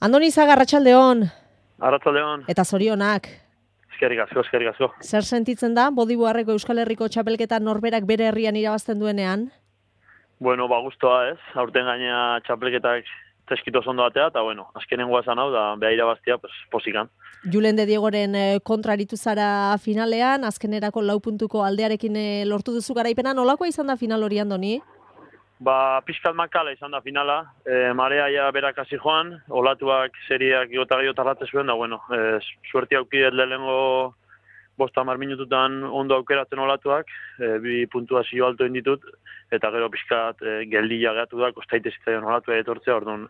Andoni Zaga, arratsaldeon. Arratsaldeon. Eta zorionak. Eskerrik asko. Zer sentitzen da Bodibuarreko Euskal Herriko txapelketa norberak bere herrian irabazten duenean? Bueno, gustoa ez. Aurten gaina txapelketak teskito ondo batea, eta azkenengoa esan hau, da beha irabaztia, posikan. Julen de Diegoren kontra aritu zara finalean, azkenerako 4 puntuko aldearekin lortu duzu garaipena. Nolakoa izan da final hori, Andoni? Pixkat makala izan da finala. Marea ja berak hasi joan, olatuak seriak igota gehiago tarratze zuen, da suerti aukidet lehenengo 50 minututan ondo aukeratzen olatuak, 2 puntuazio alto inditut, eta gero pixkat geldila gehatu da, kostaite zitzaion olatua etortzea, orduan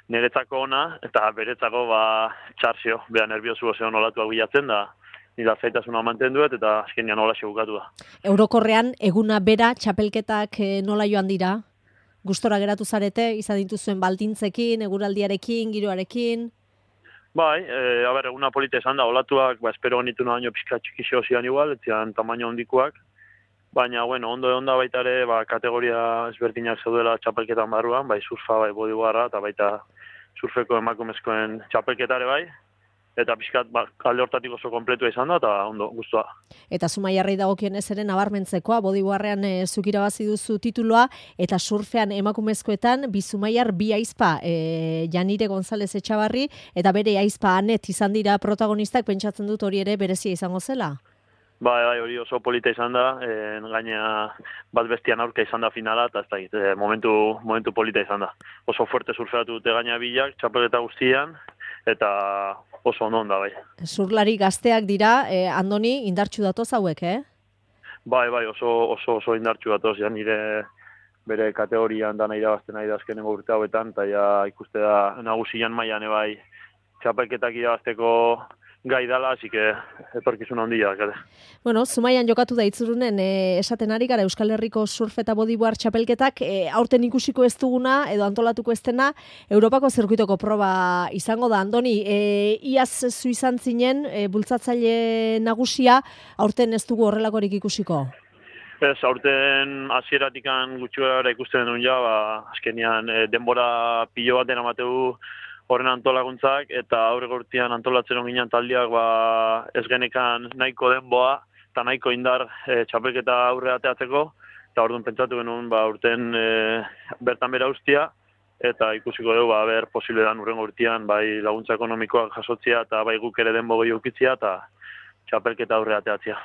niretzako ona, eta beretzako txarzio, beha nerviosu osean olatuak bilatzen da, nire zaitasuna mantenduet, eta azkenean nola bukatu da. Eurokorrean, eguna bera, txapelketak nola joan dira? Gustora geratu zarete, izan dituzuen baldintzekin, eguraldiarekin, giroarekin? Bai, eguna polita izan da, olatuak, espero genitu baino pixka txikixo zian igual, etzian tamaino hondikuak, baina, ondo da baita ere, kategoria ezberdinak zeudela txapelketan barruan, bai surfa, bai Bodibuarra, eta baita surfeko emakumezkoen txapelketare bai, eta pixkat alde hortatik oso kompletua izan da, eta ondo, guztua. Eta Zumaiarrei dagokionez ere nabarmentzekoa, Bodibuarrean zuk irabazi duzu tituloa, eta surfean emakumezkoetan, bi Zumaiar, bi aizpa, Janire González Etxabarri, eta bere aizpa Anet izan dira protagonistak, pentsatzen dut hori ere berezia izango zela? Bai, hori oso polita izan da, gaina bat bestian aurka izan da finala, eta ez da, momentu polita izan da. Oso fuerte surfeatu dute gaina bilak, txapelketa guztian, eta oso ondo da, bai. Surlari gazteak dira, Andoni, indartsu datoz hauek, Bai, oso indartsu datoz, ja nire bere kategorian dana irabazten nahi da azkenengo urte hauetan, eta ja ikuste da nagusian mailan bai txapelketak irabazteko gai dala, así que etorkizun handia dakate. Zumaian jokatu da itzurunen, esaten ari gara Euskal Herriko surf eta bodyboard txapelketak, aurten ikusiko ez duguna, edo antolatuko ez dena, Europako zirkuitoko proba izango da. Andoni, iaz zu izan zinen, bultzatzaile nagusia, aurten ez dugu horrelakorik ikusiko? Ez, aurten hasieratikan gutxi gara ikusten duen ja, azkenean denbora pilo baten amateu horren antolaguntzak, eta aurreko urtean antolatzen onginan taldiak ez genekan nahiko denboa eta nahiko indar txapelketa aurre ateatzeko, eta orduan pentsatu genuen urten bertan bera ustia, eta ikusiko dugu ber posible dan urrengo urtean bai laguntza ekonomikoak jasotzea eta bai guk ere denbo gehi ukitzea eta txapelketa aurre ateatzea.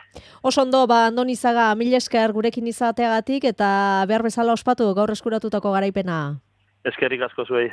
Oso ondo, Andoni Zaga, mila esker gurekin izateagatik eta behar bezala ospatu gaur eskuratutako garaipena. Eskerrik asko zuei.